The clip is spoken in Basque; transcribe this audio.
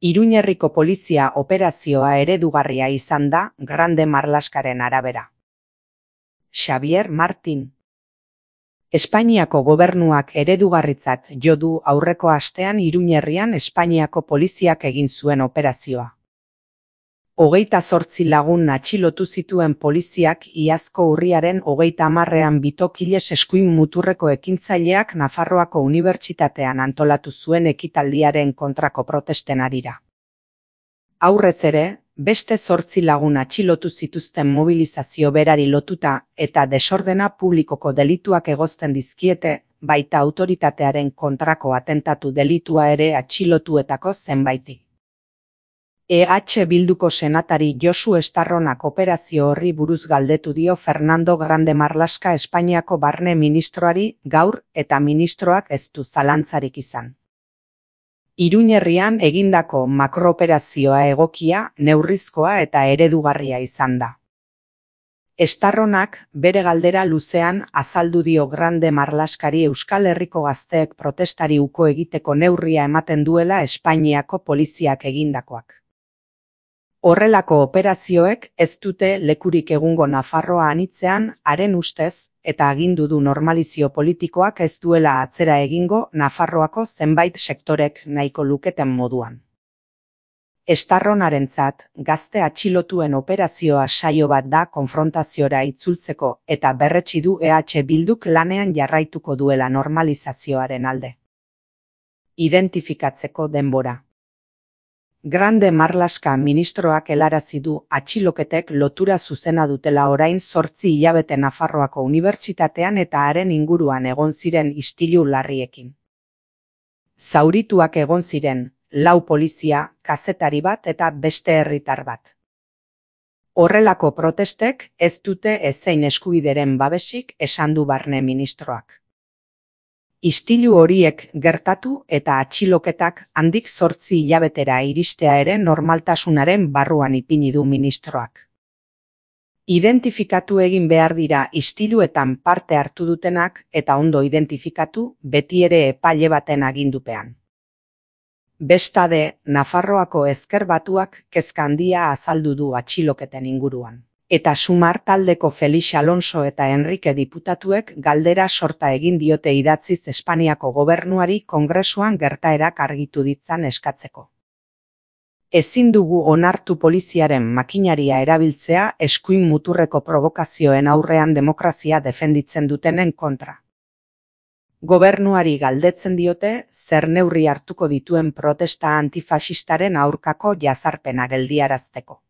Iruñerriko polizia operazioa eredugarria izan da Grande Marlaskaren arabera. Xavier Martin. Espainiako gobernuak eredugarritzat jo du aurreko astean Iruñerrian Espainiako poliziak egin zuen operazioa. 28 lagun atxilotu zituen poliziak iazko urriaren 30ean Bitokiles eskuin muturreko ekintzaileak Nafarroako Unibertsitatean antolatu zuen ekitaldiaren kontrako protesten harira. Aurrez ere, beste 8 lagun atxilotu zituzten mobilizazio berari lotuta eta desordena publikoko delituak egozten dizkiete, baita autoritatearen kontrako atentatu delitua ere atxilotuetako zenbaiti. Bilduko senatari Josu Estarronak operazio horri buruz galdetu dio Fernando Grande Marlaska Espainiako barne ministroari gaur eta ministroak ez du zalantzarik izan. Iruñerrian egindako makrooperazioa egokia, neurrizkoa eta eredugarria izan da. Estarronak bere galdera luzean azaldu dio Grande Marlaskari Euskal Herriko gazteek protestari uko egiteko neurria ematen duela Espainiako poliziak egindakoak. Horrelako operazioek ez dute lekurik egungo Nafarroa anitzean, haren ustez, eta agindu du normalizio politikoak ez duela atzera egingo Nafarroako zenbait sektorek nahiko luketen moduan. Estarronarentzat, gazte atxilotuen operazioa saio bat da konfrontaziora itzultzeko eta berretsi du Bilduk lanean jarraituko duela normalizazioaren alde. Identifikatzeko denbora. Grande Marlaska ministroak helarazi du atxiloketek lotura zuzena dutela orain 8 hilabete Nafarroako Unibertsitatean eta haren inguruan egon ziren istilu larriekin. Zaurituak egon ziren, 4 polizia, kazetari bat eta beste herritar bat. Horrelako protestek ez dute ezein eskubideren babesik esan du barne ministroak. Istilu horiek gertatu eta atxiloketak handik 8 hilabetera iristea ere normaltasunaren barruan ipini du ministroak. Identifikatu egin behar dira istiluetan parte hartu dutenak eta ondo identifikatu beti ere epaile baten agindupean. Bestade, Nafarroako Ezker Batuak kezka handia azaldu du atxiloketen inguruan. Eta Sumar taldeko Felix Alonso eta Enrique diputatuek galdera sorta egin diote idatziz Espainiako gobernuari Kongresuan gertaerak argitu ditzan eskatzeko. Ezin dugu onartu poliziaren makinaria erabiltzea eskuin muturreko provokazioen aurrean demokrazia defenditzen dutenen kontra. Gobernuari galdetzen diote zer neurri hartuko dituen protesta antifaxistaren aurkako jazarpena geldiarazteko.